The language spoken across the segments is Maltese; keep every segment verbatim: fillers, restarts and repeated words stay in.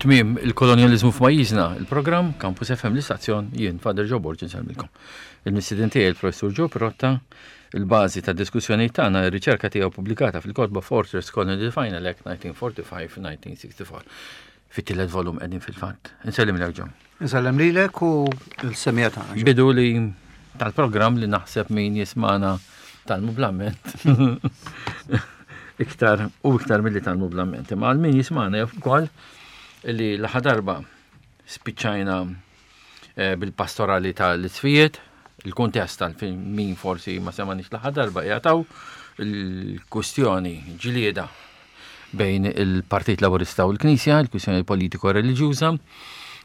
Tmiem il-kolonjaliżmu f'pajjiżna, il-programm Campus F M l-istazzjon, jien Father Joe Borg insellmilkom. Il-mistieden tiegħi il-Professur Joe Pirotta, il-bażi ta' diskussjoni tagħna ir-riċerka tiegħu pubblikata fil-kotba Fortress Colony Final Act nineteen forty-five nineteen sixty-four. Fit-tielet volum qegħdin fil-fatt. Insellem lilek Joe. Insellem lilek u l-semija tagħna. Bidu li tal-programm li naħseb min jismana tal-mublament. Iktar u iktar milli tal-mublament. Imma għal min jismana jaf ukoll li l-aħħar darba spiċċajna, eh, bil-pastorali tal-isfijiet, il-kuntest tal-fin min forsi ma semanix l-aħħar darba jagħtaw il-kwistjoni ġlieda bejn il-Partit Laburista u l-Knisja, il-kwistjoni politiko-reliġjuża.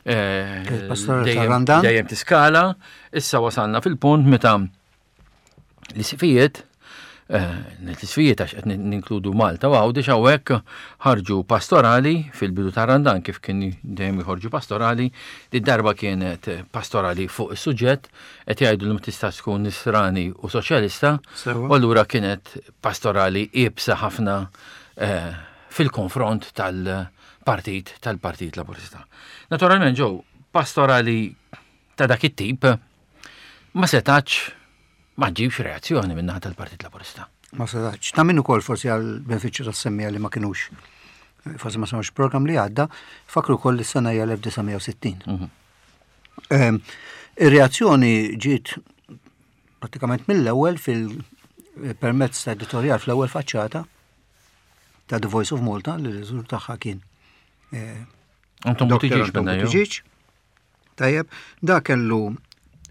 Eh, Il-pastorali dejjem tal-Randan. Dejjem tiskala, issa wasalna fil-punt meta l-isfijiet, eh, l-isfijiet għax qed ninkludu Malta u Għawdex hawnhekk ħarġu pastorali fil-bidu tar-Randan kif kien dejjem jħorġu pastorali, di darba kienet pastorali fuq is-suġġett qed jgħidu li ma tistax tkun nisrani u soċjalista, Sewa. u allura kienet pastorali iebsa ħafna, eh, fil-konfront tal-partit, tal-Partit Laburista. Naturalment ġew pastorali ta' dak it-tip ma setax ma ġibx reazzjoni minn naħa tal-Partit Laburista. Ma setax. Ta' min ukoll forsi għal benefiċċju tas-semmija li ma kinux, forsi ma semgħux program li għadda, fakru wkoll li s-sena hija elf disa' mija u sittin. Mhm. Ehm, ir-reazzjoni ġiet pratikament mill-ewwel fil-permezz ta' editorjal fl-ewwel faċċata ta' The Voice of Malta li l-riżultat tagħha kien, eh, Anton Doktor Buttigieg Anton minna, jew? Buttigieg. Tajjeb, da kellu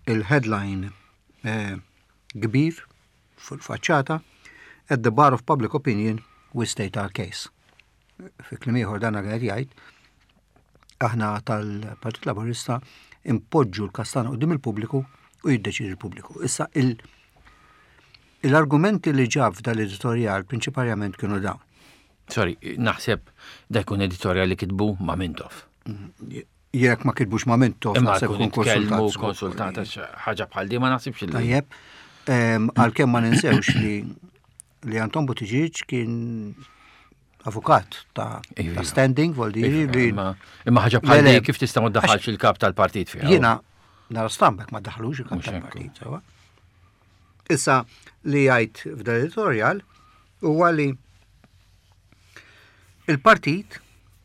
il-headline, eh, kbir fuq il-faċċata At the bar of public opinion we state our case. Fi kliem ieħor dan qed jgħid aħna tal-Partit Laburista impoġġu l-kastana quddiem il-pubbliku u jiddeċidi l-pubbliku. Issa il-, l-argumenti li ġab f'dal-editorjal prinċipalment kienu dawn. Sorry, naħseb da jkun editorjal li kitbu ma' Mintoff. Jekk ma kitbux ma' Mintoff, Imma naħseb jkun kun itkellmu konsultat. konsultat għax ħaġa bħal di ma naħsibx li. Tajjeb, ehm, għalkemm ma ninsewx li, li Anton Buttigieg kien avukat ta', Iva. ta' standing, vuol dire Iva, li imma, imma ħaġa bħal Le, le. di kif tista' ma ddaħħalx il-kap tal-partit fiha? Jiena nara stambek ma daħlux il-kap Mhux hekk. tal-partit, sewa. Issa li jgħid f'dan editorial huwa li il-partit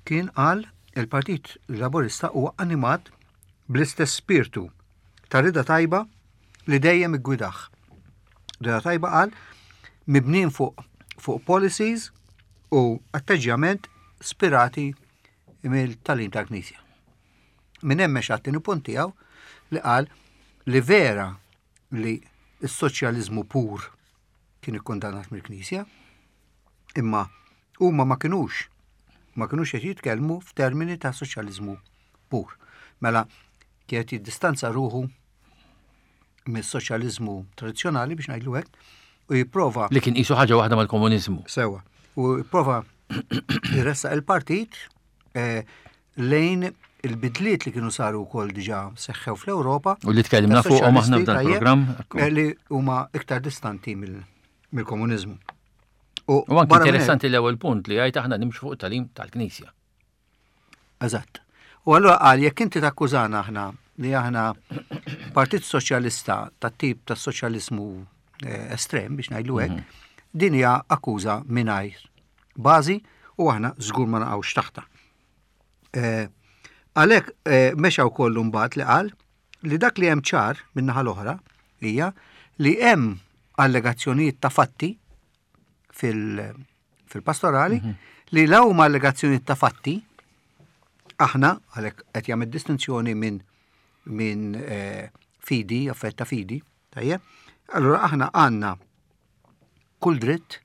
kien qal il-Partit Laburista huwa animat bl-istess spiritu ta' rida tajba li dejjem iggwidah. Rida tajba qal mibnin fuq, fuq policies u atteġġjament spirati mill-talim tal-Knisja. Minn hemm mexa għat-tieni punt tiegħu li qal li vera li s-soċjaliżmu pur kien ikkundannat mill-Knisja, imma huma ma kinux, ma kinux qed jitkellmu f'termini ta' soċjaliżmu pur. Mela kienet jiddistanza ruħu mis-soċjaliżmu tradizzjonali biex ngħidlu hekk u jipprova li kien qisu ħaġa waħda mal-komuniżmu. Sewa. U jipprova jressaq il-partit, eh, lejn il-bidliet li kienu saru wkoll diġà seħħew fl-Ewropa. U li tkellimna fuqhom aħna f'dan Tajjeb, il-programm. eh, li huma iktar distanti mill-, mill-komuniżmu. U U anke barra minn hekk interessanti l-ewwel punt li għajt aħna nimxu fuq talim tal-Knisja. Eżatt. U allura qal jekk inti takkużana aħna li aħna Partit Soċjalista tat-tip tas soċjaliżmu, eh, estrem biex ngħidlu hekk, Mhm. din hija akkuża mingħajr bażi u aħna żgur ma naqgħux taħta. Eh, għalhekk, eh, mexa wkoll imbagħad li qal li dak li hemm ċar min-naħa l-oħra hija li hemm allegazzjonijiet ta' fatti fil-, fil-pastorali Mhm. li law huma allegazzjonijiet ta' fatti aħna għalhekk qed jagħmel distinzjoni minn, minn, eh, fidi, affett ta' fidi, tajjeb? Allura aħna għandna kull dritt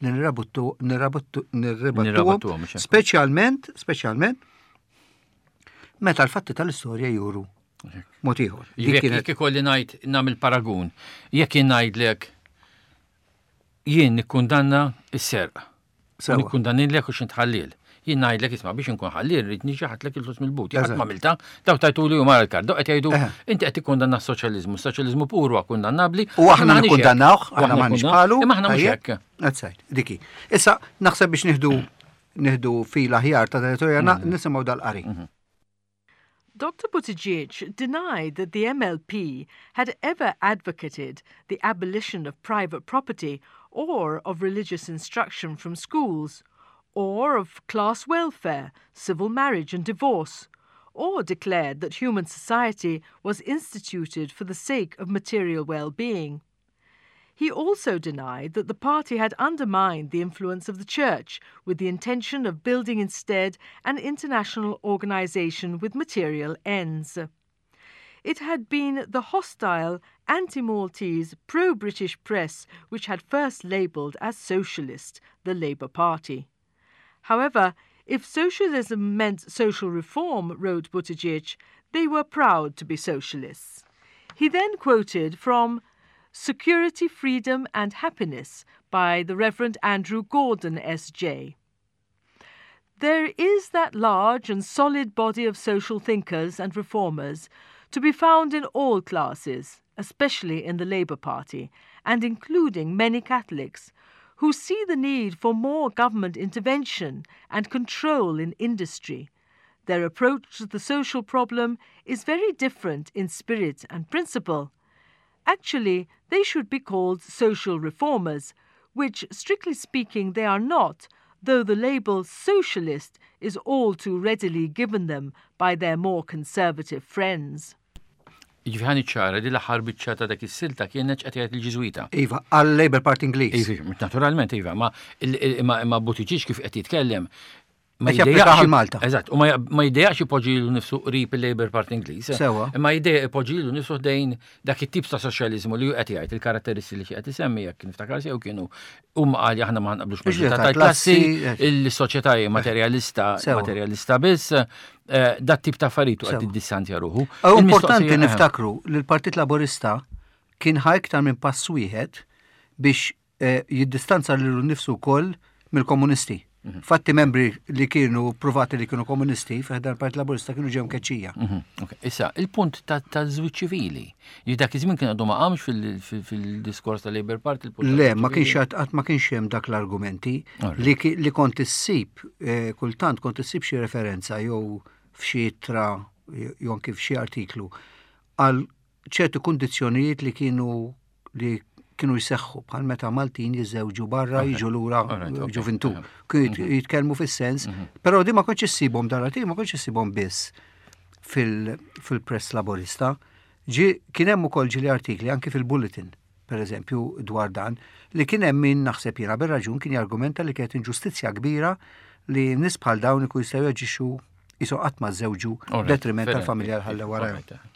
li nirrabuttu, nirrabuttu, nirribattuhom, Nirrabattuhom, mhux hekk. speċjalment, speċjalment meta l-fatti tal-istorja juru mod ieħor. Dik Jekk kienet jekk ikolli ngħid nagħmel paragun, jekk jien ngħidlek jien nikkundanna s-serq. Sewa. Nikkundannilek u x'int ħalliel. Jien ngħidlek isma' biex inkun ħalliel rrid niġi ħadlek il-flus mill-but. Jekk Eżatt. ma għamilta, daw tajtuli u mara l-kard. Daw qed jgħidu Eħe. inti qed tikkundanna s-soċjaliżmu, s-soċjaliżmu pur huwa kundannabli. U aħna Aħna m'aħniex hekk. nikkundannawh, U aħna aħna m'aħniex nikkundannaw, bħalu. Imma aħna mhux Tajjeb. hekk. That's right, diki. Issa naħseb biex nieħdu nieħdu fil aħjar ta' editorjal mm. nisimgħu dal-qari. Mhm. Doctor Buttigieg denied that the M L P had ever advocated the abolition of private property or of religious instruction from schools, or of class welfare, civil marriage and divorce, or declared that human society was instituted for the sake of material well-being. He also denied that the party had undermined the influence of the church with the intention of building instead an international organization with material ends. It had been the hostile, anti-Maltese, pro-British press which had first labelled as socialist the Labour Party. However, if socialism meant social reform, wrote Buttigieg, they were proud to be socialists. He then quoted from Security, Freedom and Happiness by the Reverend Andrew Gordon, S J. "There is that large and solid body of social thinkers and reformers to be found in all classes, especially in the Labour Party, and including many Catholics, who see the need for more government intervention and control in industry. Their approach to the social problem is very different in spirit and principle. Actually, they should be called social reformers, which, strictly speaking, they are not, though the label socialist is all too readily given them by their more conservative friends." Jiġifieri ħa niċċara li l-aħħar biċċa ta' dak is-silta kienet qed jgħid il-Ġiżwita. Iva, għal-Labour Party Ingliż. Iva, naturalment, iva, ma imma Buttigieg kif qed jitkellem ma jiddejjaqx Malta. Eżatt, u ma jiddejjaqx ipoġġi nifsu qrib il-Labour Party Ingliż. Sewa. Imma jiddejjaq ipoġġi nifsu ħdejn dak it-tip ta' soċjaliżmu li qed jgħid, il-karatteristiċi li qed isemmi, jekk niftakar sew, kienu huma qal aħna ma naqblux tal-klassi, il-soċjetà materialista, materialista biss, eh, dat tip ta' affarijiet qed tiddistanzja ruħu. Importanti niftakru li l-Partit Laburista kien ħa iktar minn pass wieħed biex eh, jiddistanza lilu nnifsu wkoll mill-komunisti. Mhm. Fatti membri li kienu provati li kienu komunisti fi ħdan Partit Laburista kienu ġew mkeċċija. Mhm, issa, il-punt ta' żwieġ ċivili. Li dak iż-żmien kien għadu ma qamx fil-diskors ta' Labour Party. Le, ma kienx qatt ma kienx hemm dak l-argumenti li kont issib eh, kultant kont issib xi referenza jew f'xi ittra jew anki f'xi artiklu għal ċertu kundizzjonijiet li kienu li kienu jseħħu bħal meta Maltin jiżewġu barra, jiġu lura ġuvintu. Kienu mhm. jitkellmu fis-sens, mhm. però di ma kontx issibhom dar ma kontx issibhom biss fil-press Laborista. Ġi kien hemm ukoll ġieli artikli anki fil-Bulletin, per eżempju, dwar dan, li kien hemm min, naħseb jiena bir-raġun, kien jargumenta li kienet inġustizzja kbira li nies bħal dawn ikun jistgħu jaġixxu qisu qatt ma żewġu detriment tal-familja l-ħalla warajhom.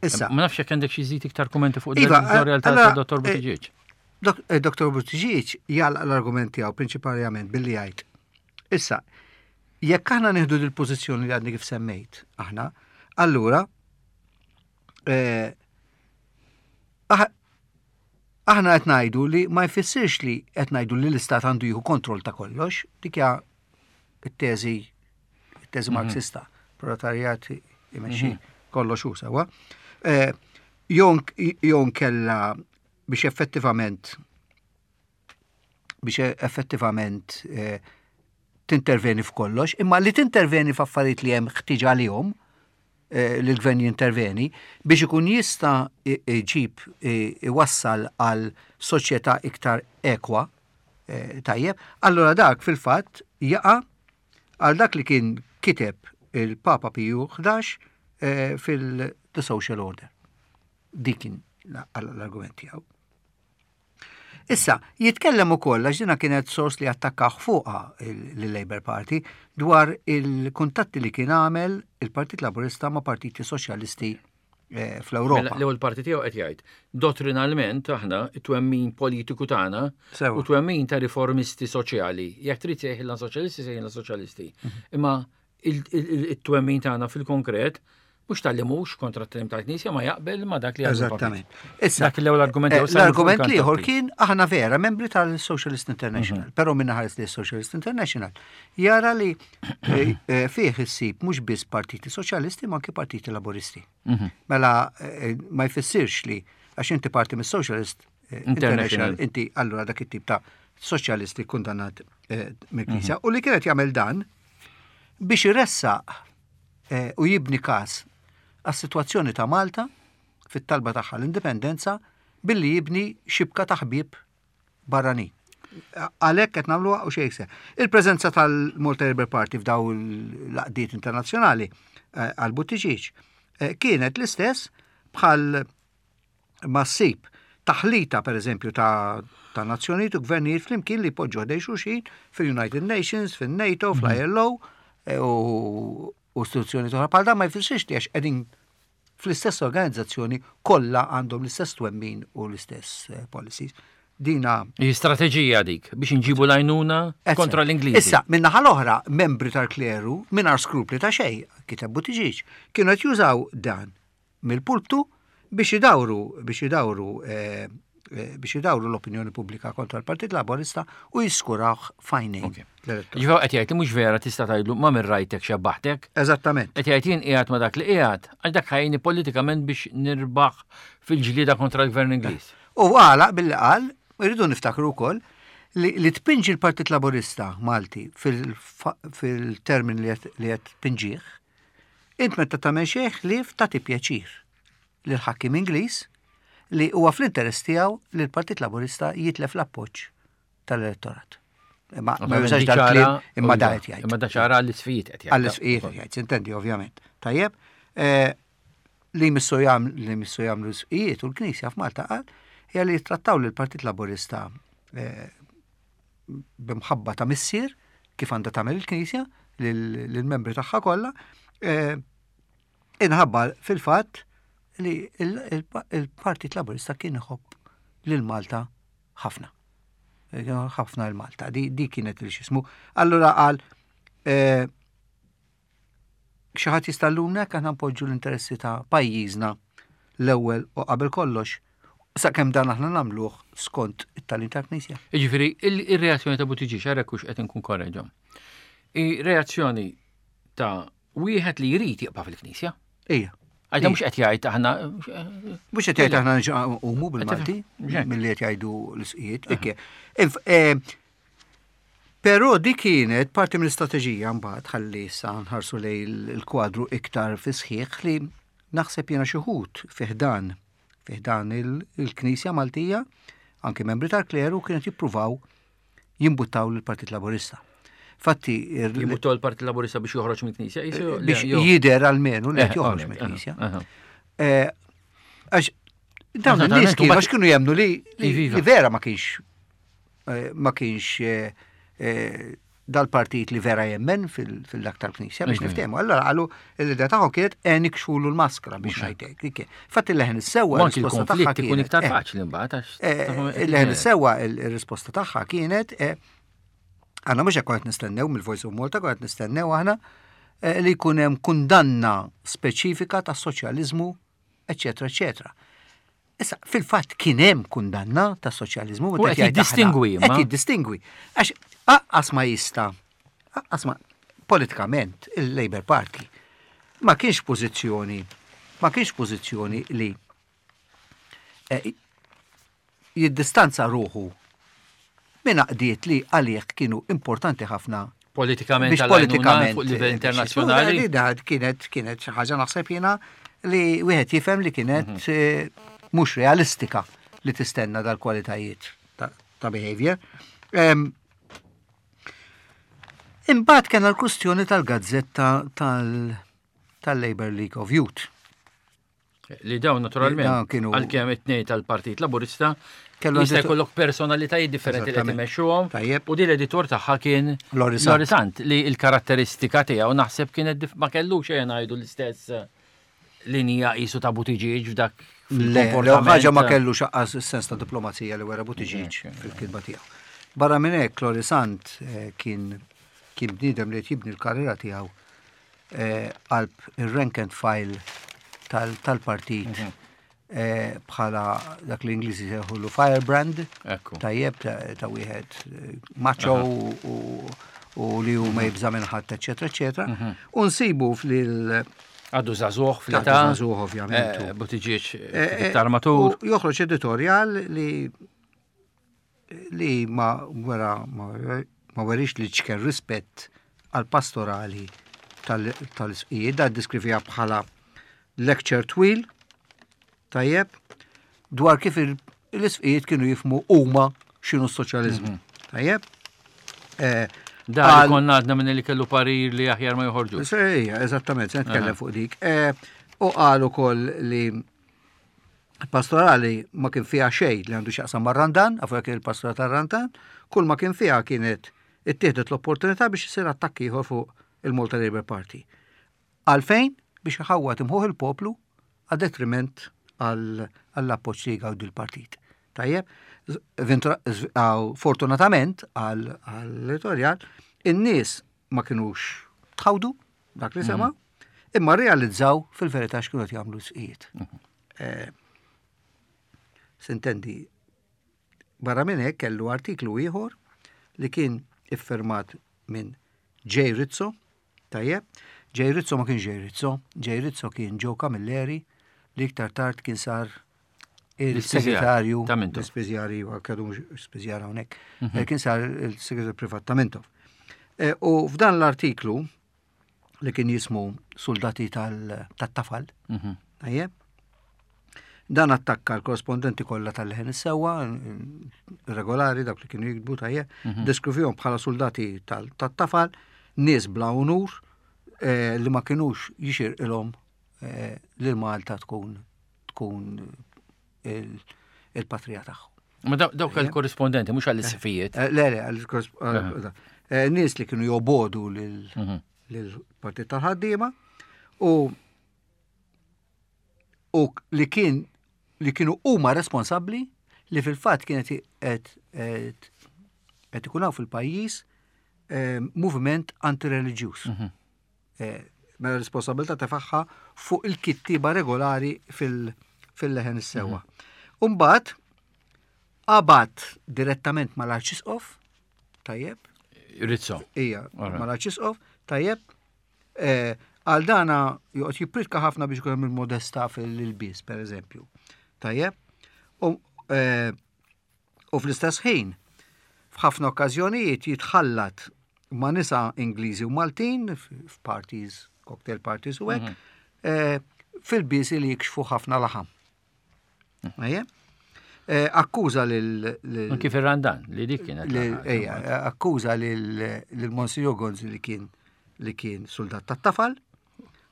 Issa. Ma nafx jekk għandek xi żid iktar kummenti fuq iva, l-editorial ta' Dottor eh, Buttigieg. Eh, Dottor Buttigieg jagħlaq l-argument tiegħu prinċipalment billi jgħid: Issa, jekk aħna nieħdu dil-pożizzjoni li għadni kif semmejt, aħna, allura eh, aħna qed ngħidu li ma jfissirx li qed ngħidu li l-istat għandu jieħu kontroll ta' kollox, dik hija it-teżi it-teżi mhm. Marxista, proletarjat imexxi mhm. kollox hu sewwa. Eh, jew kella biex effettivament biex effettivament eh, tinterveni f'kollox, imma li tinterveni f'affarijiet li hemm ħtiġa għalihom eh, li l-gvern jinterveni biex ikun jista' iġib, iwassal għal soċjetà iktar ekwa, tajjeb, allura dak fil-fatt jaqa' għal dak li kien kiteb il-Papa Piju ħdax fil-The Social Order. Dik kien l-argument tiegħu. Issa, jitkellem ukoll, għax dina kienet sors li attakkaħ fuqha l-Labour Party, dwar il-kuntatti li kien għamel il-Partit Laburista ma' partiti soċjalisti eh, fl-Ewropa. Mela, l-ewwel parti tiegħu qed jgħid dottrinalment aħna it-twemmin politiku tagħna u twemmin ta' riformisti soċjali. Jekk trid sejħilna soċjalisti, sejħilna soċjalisti. Mhm. Imma il-twemmin tagħna fil-konkret mhux talli mhux kontra t-tagħlim tal-Knisja, ma jaqbel ma dak li Eżattament. Issa, dak l-ewwel argument. Eh, l-argument l-ieħor kien aħna vera membri tal-Socialist International, mhm. però minna ħares li Socialist International jara li eh, eh, fih issib mhux biss partiti soċjalisti ma anke partiti laboristi. Mhm. Mela ma jfissirx li għax inti parti mis-Socialist International inti allura dak it-tip ta' soċjalisti kundannat. eh, mill-Knisja u li kienet jagħmel dan biex iressaq eh, u jibni każ għas-sitwazzjoni ta' Malta fit-talba tagħha l-indipendenza billi jibni xibka ta' ħbieb barranin. Għalhekk qed nagħmluha u xejn iktar. Il-preżenza tal-Malta Labour Party f'daw l-għaqdiet internazzjonali eh, għal Buttigieg eh, kienet l-istess bħal ma ssib taħlita per eżempju ta' ta' nazzjonijiet u gvernijiet flimkien li poġġu ħdejn xulxin fil-United Nations, fil-NATO, fl-I L O eh, u u istituzzjoni oħra bħal dan. Ma jfissirx li għax qegħdin fl-istess organizzazzjoni kollha għandhom l-istess twemmin u l-istess eh, policies. Dina Hi strateġija dik biex nġibu l-għajnuna kontra l-Ingliżi. Issa, min-naħa l-oħra, membri tal-kleru, mingħajr skrupli ta' xejn, kiteb Buttigieg, kienu qed jużaw dan mill-pulptu biex idawru, biex idawru, eh, eh, biex idawru l-opinjoni pubblika kontra l-Partit Laborista u jiskurawh f'għajnejn Ok. l-elettorat. Ġifieri qed jgħid li mhux vera tista' tgħidlu ma' minn rajtek xebbaħtek. Eżattament. Qed jgħid jien qiegħed ma' dak li qiegħed għax dak ħa jgħinni politikament biex nirbaħ fil-ġlieda kontra l-gvern Ingliż. U għalaq billi qal, irridu niftakru wkoll li, li tpinġi l-Partit Laborista Malti fil-termin li qed- li qed tpinġih, int meta tagħmel xejn ħlief tagħti pjaċir lil ħakkim Ingliż li huwa fl-interess tiegħu li l-Partit Laborista jitlef l-appoġġ tal-elettorat. Ma ma jużax dal-kliem, imma da qed jgħid. Imma da ċara għall-isqfijiet qed jgħid. Għall-isqfijiet qed jgħid, intendi ovvjament. Tajjeb, eh, li missu jagħmlu li missu jagħmlu l-isqfijiet u l-Knisja f'Malta, qal, hija li jittrattaw lill-Partit Laborista eh, b'imħabba ta' missier kif għandha tagħmel il-Knisja lill-membri tagħha kollha, eh, inħabba fil-fatt li il-Partit Laborista kien iħobb lil Malta ħafna. Ħafna l-Malta, di, di kienet il xismu. Allura qal, eh, xi ħadd jista' llumna aħna npoġġu l-interessi ta' pajjiżna l-ewwel u qabel kollox, sakemm dan aħna nagħmluh skont it-tagħlim tal-Knisja. Jiġifieri il-reazzjoni ta' Buttigieg, għarek hux qed inkun korreġom. Ir-reazzjoni ta' wieħed li jrid jibqa' fil-Knisja. Ija. Għajda mhux qed jgħid aħna Mhux qed jgħid aħna umu bil-Malti, milli qed jgħidu l-isqijiet. Eh, però di kienet parti mill-istrateġija mbagħad, ħalli issa nħarsu lejn il-kwadru iktar fi sħiħ, li naħseb jiena xi wħud fi ħdan fi ħdan il-Knisja Maltija, anke membri tal-kleru, kienet jippruvaw jimbuttaw l-Partit Laborista. Fatti. Jimbuttaw l-Partit Laborista biex joħroġ mill-Knisja? Biex jider almenu li qed joħroġ mill-Knisja. Eh, għax dawn in-nies kienu għax kienu jemnu li vera ma kienx eh, ma kienx eh, dal-partit li vera jemmen fil-dak tal-Knisja biex niftehmu. Allora qalu l-idea tagħhom kienet e nikxfulu l-maskra biex ngħidlek. Fatti l-leħen is-sewwa r-risposta tagħha kienet iktar faċli mbagħad. Il-leħen is-sewwa il-risposta tagħha kienet, għandna mhux hekk qed nistennew mill-Voice of Malta, qed nistennew aħna li jkun hemm kundanna speċifika tas soċjaliżmu, eċetera, eċetera. Issa, fil-fatt kien hemm kundanna ta' soċjaliżmu. U qed jiddistingwi. Qed jiddistingwi. Għax aqqas ma jista', aqqas ma politikament il-Labour Party ma kienx pożizzjoni, ma kienx pożizzjoni li eh, jiddistanza ruħu minn għaqdiet li għalih kienu importanti ħafna politikament biex politikament fuq livell internazzjonali. Kienet kienet xi ħaġa naħseb jiena li wieħed jifhem li kienet mhm. eh, mhux realistika li tistenna dal-kwalitajiet ta', ta behavior. Um, Imbagħad kien l-kwistjoni tal-gazzetta tal-Labour League of Youth. Li dawn naturalment, għalkemm it-tnejn tal-Partit Laburista, jista' jkollok personalitajiet differenti li timexxuhom. U di l-editur tagħha kien Lorry Sant, li l-karatteristika tiegħu naħseb kienet ma kellux xejn ngħidu l-istess linija qisu ta' Buttigieg f'dak. Le, ħaġa ma kellu xaqqas sens ta' diplomazija li wera Buttigieg fil-kitba tiegħu. Barra minn hekk Lorry Sant eh, kien kien bniedem li jibni l-karriera tiegħu eh, qalb il-rank and file tal-partit mhm. eh, bħala dak l-Ingliżi sejħulu firebrand, tajjeb, ta' wieħed macho u li hu ma jibża minn ħadd, eċetera, eċetera. Mhm. U nsibu fil Għadu żagħżugħ fl-età. Għadu żagħżugħ ovvjament. Eh, Buttigieg iktar matur. Joħroġ editorial li li ma wera ma Ma werix li ċken rispett għal pastorali tal-isqijiet, da ddeskrivieha bħala lecture twil, tajjeb, dwar kif l-isqijiet kienu jifhmu huma x'inhu s-soċjaliżmu. Mhm. Tajjeb? Eh, da konna għadna minn li kellu parir li aħjar ma joħorġu. Ejja, eżattament, se nitkellem fuq dik. Eh, u qal ukoll li pastorali ma kien fiha xejn li għandu x'jaqsam mar-Randan, għafu kien il-pastorali tar-Randan, kull ma kien fiha kienet ittieħdet l-opportunità biex isir attakk ieħor fuq il-Malta Labour Party. Għalfejn? Biex iħawwad imħuħ il-poplu għad detriment għall-appoġġ li jgawdi l-partit. Tajjeb, fortunatament għall-editorjal, in-nies ma kienux tħawdu dak li sema, mhm. imma realizzaw fil-verità x'kienu jagħmlu sqijiet. Mhm. Eh, Sintendi, barra minn hekk kellu artiklu ieħor li kien iffirmat minn J. Rizzo, tajjeb, J. Rizzo ma kien J. Rizzo, J. Rizzo kien Joe Camilleri li iktar tard kien sar il-segretarju l-ispiżjarju, għadu spiżjar hawnhekk, mhm. kien sar il-segretarju privat ta' Mintoff. E, u f'dan l-artiklu li kien jismu Soldati tat-tafal, mhm. tajjeb, dan attakka l-korrespondenti kollha tal-Leħen is-Sewwa, regolari, dawk li kienu jiktbu tajjeb, mhm. ddeskrivihom bħala soldati tat-tafal, nies bla unur, eh, li ma kienux jixirqilhom eh, li Malta tkun tkun il-patrija tagħhom. Ma dawk il-korrispondenti, mhux għall-isqfijiet. Eh, le, le, nies li kienu jobogħdu mhm. lill-partit tal-ħaddiema u u li kien li kienu huma responsabbli li fil-fatt kienet qed qed ikun hawn fil-pajjiż eh, moviment antireliġjuż. Mhm. Eh, mela responsabilità tefagħha fuq il-kittiba regolari fil-Leħen is-Sewwa. Umbagħad qabad direttament mal-Arċisqof, tajjeb, Rizzo. Ija, mal-Arċisqof, tajjeb, eh, għal dana joqgħod jippritka ħafna biex ikun hemm il-modesta fil-ilbies, per eżempju. Tajjeb, u eh, u fl-istess ħin, f'ħafna okkażjonijiet jitħallat ma' nisa Ingliżi u Maltin f'parties, cocktail parties u hekk, mhm. eh, f'ilbiesi li jikxfu ħafna laħam. Ejja? Eh, akkuża lil. Kif ir-Randan, li dik kienet. Ejja, akkuża lil Monsignor Gonzi li kien li kien soldat tat-tafal,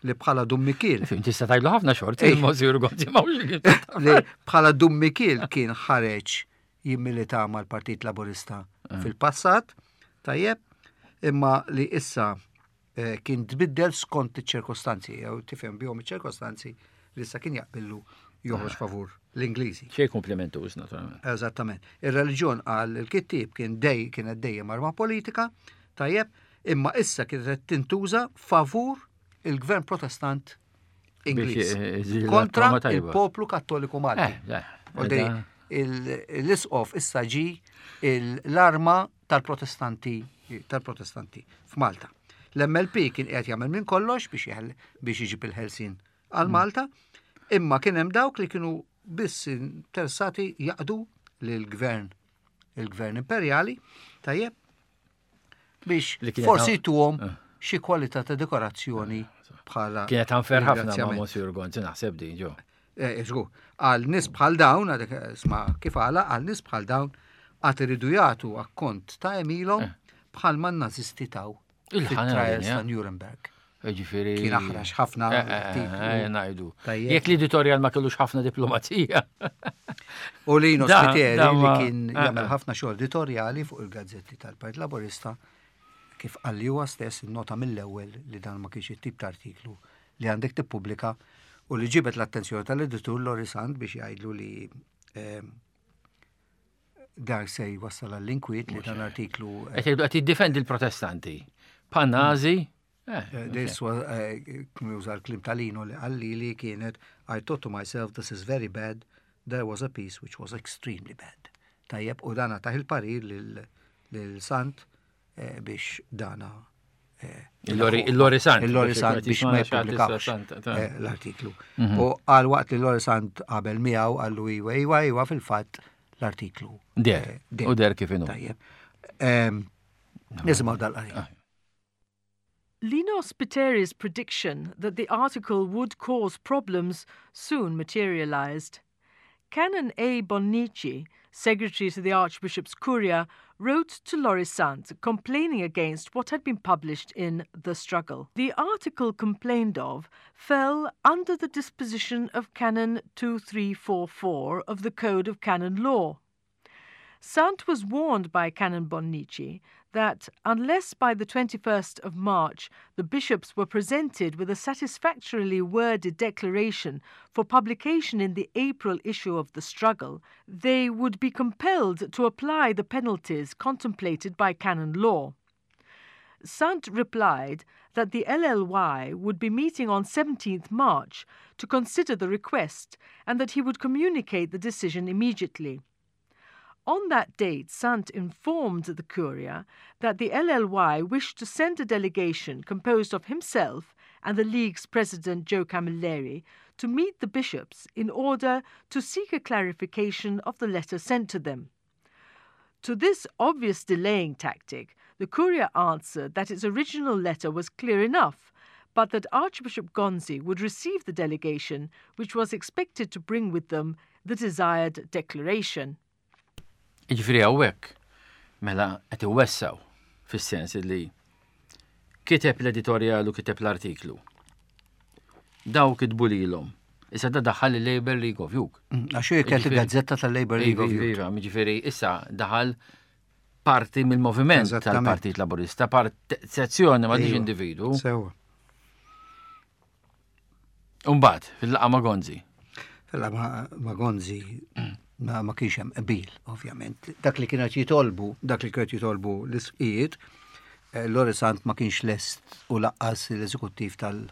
li bħala Dun Mikiel. Fim, tista' tgħidlu ħafna xorti, il-Monsignor Gonzi ma Li bħala Dun Mikiel kien ħareġ jimmilita mal-Partit Laburista eh. fil-passat, tajjeb, imma li issa eh, kien tbiddel skont iċ-ċirkostanzi, jew tifhem bihom iċ-ċirkostanzi li issa kien jaqbillu joħroġ ah. favur l-Ingliżi. Xej komplimentuż, naturalment. Eżattament. Ir-reliġjon għal il-kittib kien dej kienet dejjem arma politika, tajjeb, imma issa kienet tintuża favur il-gvern protestant Ingliż. Eh, kontra il-poplu kattoliku Malti. Eh, l-isqof issa ġi l-arma tal-protestanti tal-protestanti f'Malta. L-M L P kien qiegħed jagħmel minn kollox biex biex iġib il-ħelsin għal Malta, imma kien hemm dawk li kienu biss interessati jaqdu lill-gvern il-gvern imperjali, tajjeb, biex forsi tuhom eh. xi kwalità ta' dekorazzjoni bħala. Kienet unfair ħafna ma' Monsignor Gonzi naħseb din ġo. Eh, żgur, għal nies bħal dawn, għadek sma kif għala, għal nies bħal dawn, għad iridu jagħtu akkont ta' għemilhom eh. bħal ma nazisti taw fit-trials ta' Nuremberg. Ġifieri. Kien aħrax ħafna. Eh, ngħidu. Jekk l-editorial ma kellux ħafna diplomazija. U Lino Spiteri li kien jagħmel ħafna xogħol editorjali fuq il-gazzetti tal-Partit Laburista, kif qalli huwa stess, nota mill-ewwel li dan ma kienx it-tip ta' artiklu li għandek tippubblika u li ġibet l-attenzjoni tal-editur Lorry Sant biex jgħidlu li eh, dar se jwassal għall-inkwiet li dan artiklu. Qed qed jiddefendi l-Protestanti. Pan-Nazi. Eh, this was, juża l-kliem ta' Lino li qalli li kienet, "I thought to myself, this is very bad, there was a piece which was extremely bad." Tajjeb, u dana tah il-parir lil Sant eh, biex dana eh, Il-Lorry Sant. Il-Lorry Sant biex ma jippubblikawx l-artiklu. Mhm. U għal waqt li Lorry Sant qabel miegħu qallu iwa, iwa, iwa, fil-fatt l-artiklu. Der, u der kif inhu. Tajjeb. Nisimgħu dal-qari. Ah. Lino Spiteri's prediction that the article would cause problems soon materialized. Canon A. Bonnici, secretary to the Archbishop's Curia, wrote to Lorry Sant complaining against what had been published in The Struggle. The article complained of fell under the disposition of Canon two three four four of the Code of Canon Law. Sant was warned by Canon Bonnici that unless by the twenty-first of March the bishops were presented with a satisfactorily worded declaration for publication in the April issue of The Struggle, they would be compelled to apply the penalties contemplated by canon law. Sant replied that the L L Y would be meeting on seventeenth March to consider the request and that he would communicate the decision immediately. On that date, Sant informed the Curia that the L L Y wished to send a delegation composed of himself and the League's president, Joe Camilleri, to meet the bishops in order to seek a clarification of the letter sent to them. To this obvious delaying tactic, the Curia answered that its original letter was clear enough, but that Archbishop Gonzi would receive the delegation, which was expected to bring with them the desired declaration. Ġifieri hawnhekk, mela qed iwessaw fis-sens li kiteb l-editorial u kiteb l-artiklu. Daw kitbu lilhom. Issa da daħal il-Labour League of Youth. Mm, għax kienet il-gazzetta tal-Labour League of Youth. Iva, ġifieri issa daħal parti mill-moviment tal-Partit Laburista, part sezzjoni ma diġ individu. Sewa. Umbagħad, fil-laqgħa ma' Gonzi. Fil-laqgħa ma' Gonzi ma, ma kienx hemm qbil, ovvjament. Dak li kienet jitolbu, dak li kienet jitolbu l-isqijiet, eh, Lorry Sant ma kienx lest u lanqas l-eżekuttiv tal-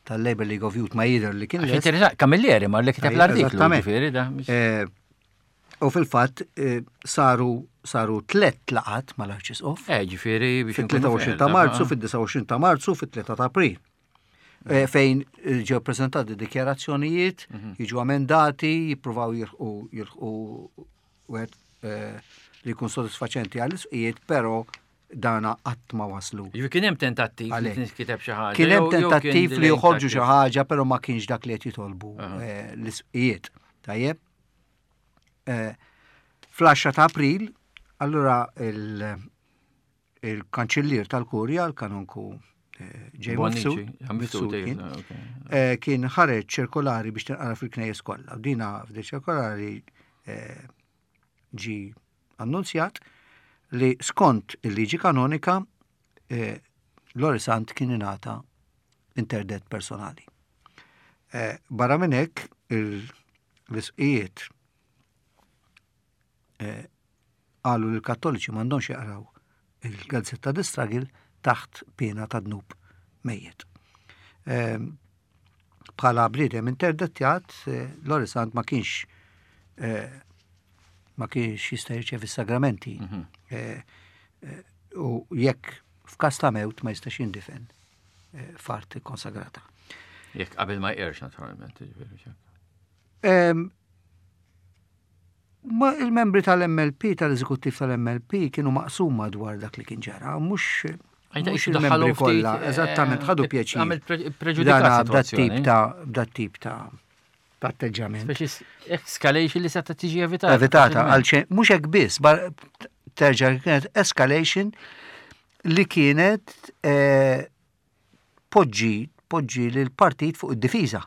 tal-Labour League of Youth ma jidher li kien lest. Camilleri mar li kiteb l-artiklu. Eh, u fil-fatt eh, saru saru tlet laqgħat mal-Arċisqof. Eh, ġifieri biex fit-tlieta u għoxrin ta' Marzu, fid-disgħa u għoxrin ta' Marzu, fit-tlieta ta' April. Eh, fejn eh, ġew prezentati dikjarazzjonijiet, mhm. jiġu emendati, jippruvaw jilħqu jilħqu wieħed eh, li jkun sodisfaċenti għall-isqijiet, però dana qatt ma waslu. Ġifieri kien hemm tentattiv li tinkiteb xi ħaġa. Kien hemm tentattiv li joħorġu xi ħaġa, però ma kienx dak li qed jitolbu l-isqijiet. Tajjeb. Fl-għaxra ta' April, allura il-kanċillier tal-Kurja, l-kanonku Ġej Mifsud, kien, eh, kien ħareġ ċirkolari biex tinqara fil-knejjes kollha. U dina f'di ċirkolari eh, ġi annunzjat li skont il-liġi kanonika eh, Lorry Sant kien ingħata interdett personali. Barra minn hekk, l-isqijiet qalu li l-Kattoliċi m'għandhomx jaqraw il-gazzetta The Struggle taħt pena ta' dnub mejjet. Ehm, bħala bniedem interdettjat, eh, Lorry Sant ma kienx eh, ma kienx jista' jirċevi sagramenti. Mhm. Eh, u jekk f'każ ta' mewt ma jistax jindifen f'art konsagrata. Jekk qabel ma jqerx, naturalment. Ehm, ma il-membri tal-M L P, tal-eżekuttiv tal-M L P, kienu maqsuma dwar dak li kien ġara, mhux mhux il-membri kollha, eżattament, ħadu pjaċir. Għamil preġudikat. Dat-tip ta' dat-tip ta' atteġġament. Escalation li seta' tiġi evitata. Evitata, għal mhux hekk biss, terġa' kienet escalation li kienet eh, poġġi poġġi l-partit fuq id-difiża.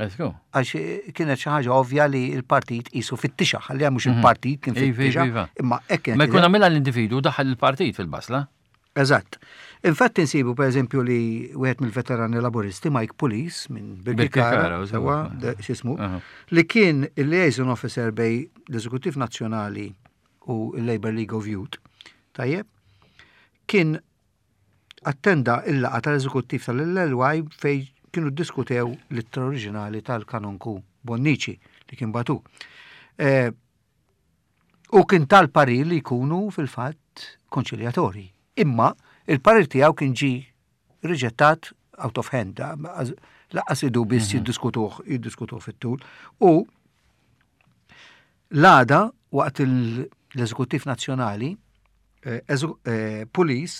Għax kienet xi ħaġa ovvja li l-partit qisu fittixa, ħalli mhux mhm. il-partit kien fittixa, imma hekk. Ma jkun għamilha l-individu, daħal il-partit fil-basla. Eżatt. Infatti nsibu per eżempju li wieħed mill-veterani Laburisti, Mike Pulis minn Birkirkara, sewa x'ismu, li kien il-liaison officer bejn l-Eżekuttiv Nazzjonali u l-Labour League of Youth, tajjeb, kien attenda il-laqgħa tal-Eżekuttiv tal-L L Y fej kienu diskutew l-ittra oriġinali tal-kanonku Bonnici li kien bagħtu. Eh, u kien tal-parir li jkunu fil-fatt konċiljatori. Imma il-parir tiegħu kien ġi riġettat out of hand, lanqas idu biss mhm. jiddiskutuh, jiddiskutuh fit-tul. U l-għada waqt l-Eżekuttiv Nazzjonali, eh, eżu- eh, Pulis,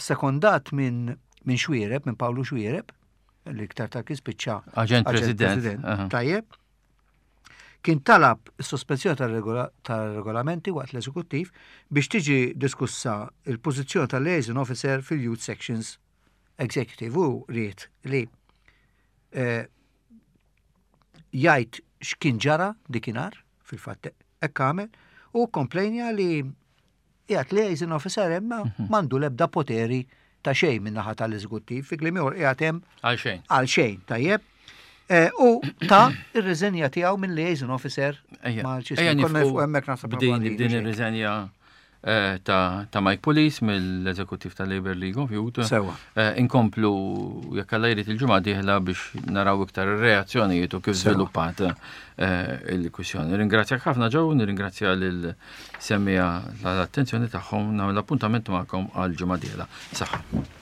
sekondat minn min Xuereb, minn Pawlu Xuereb, li iktar tard kien spiċċa Aġent President. Aha. Tajjeb. Kien talab is-sospensjoni tal-regola- tal-regolamenti waqt l-eżekuttiv biex tiġi diskussa il-pożizzjoni tal-liaison officer fil-Youth Sections Executive u ried li eh, jgħid x'kien ġara dikinhar, fil-fatt hekk għamel, u komplejnja li qiegħed liaison officer imma m'għandu l-ebda poteri ta' xejn min-naħa tal-eżekuttiv, fi kliem ieħor qiegħed hemm Għal xejn. għal xejn, tajjeb. Eh, U ta ir-riżenja tiegħu minn liaison officer Ejja, mal ejja Konna nifqu fuq hemmhekk naħseb b'din probabli b'din xejn. ir-riżenja eh, ta' ta' Mike Pulis mill-eżekuttiv ta' Labour League of Youth. Sewa. Eh, Inkomplu jekk Alla jrid il-ġimgħa dieħla biex naraw iktar ir-reazzjonijiet u kif Sewa. żviluppat eh, il-kwissjoni. Ringrazzjak ħafna ġew, nirringrazzja lil semmiegħa l-attenzjoni tagħhom, nagħmel appuntament magħkom għal ġimgħa dieħla. Saħħa.